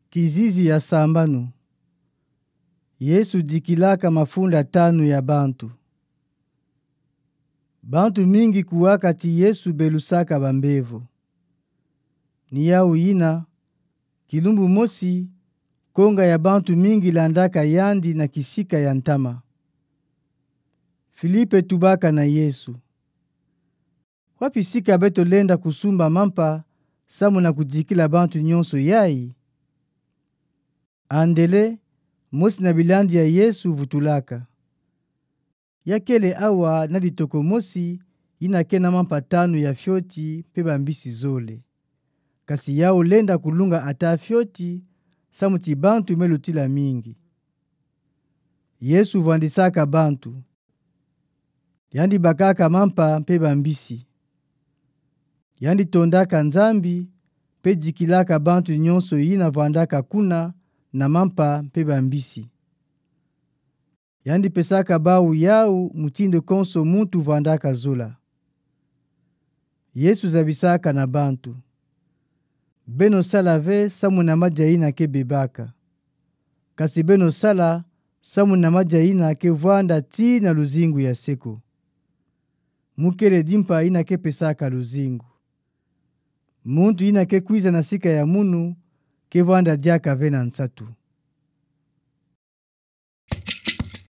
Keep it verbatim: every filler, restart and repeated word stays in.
Kizizi ya sambanu. Yesu dikilaka mafunda tanu ya bantu. Bantu mingi kuwaka ti Yesu belusaka bambevo. Ni yawu yina, kilumbu mosi, konga ya bantu mingi landaka yandi na kisika ya ntama. Filipe tubaka na Yesu: Wapi sika beto lenda kusumba mampa samu na kudikila bantu nyonso yayi? Andele, mosi na bilandi ya Yesu, vutulaka: Ya kele awa na litoko mosi yina ke na mampa tanu ya fioti mpe bambisi zole. Kasi yawu lenda kulunga ata fioti, samu ti bantu me lutila mingi. Yesu vwandisaka bantu. Yandi bakaka mampa mpe bambisi. Yandi tondaka Nzambi, mpe dikilaka bantu nyonso yina vwandaka kuna na mampa mpe bambisi. Yandi pesaka bawu yawu mutindu konso muntu vwandaka zola. Yesu zabisaka na bantu: Beno sala ve samu na madia yina ke bebaka. Kasi beno sala samu na madia yina ke vwanda tii na luzingu ya seko. Mu kele dimpa yina ke pesaka luzingu. Muntu yina ke kwiza na sika ya munu ke vwanda diaka ve na nsatu.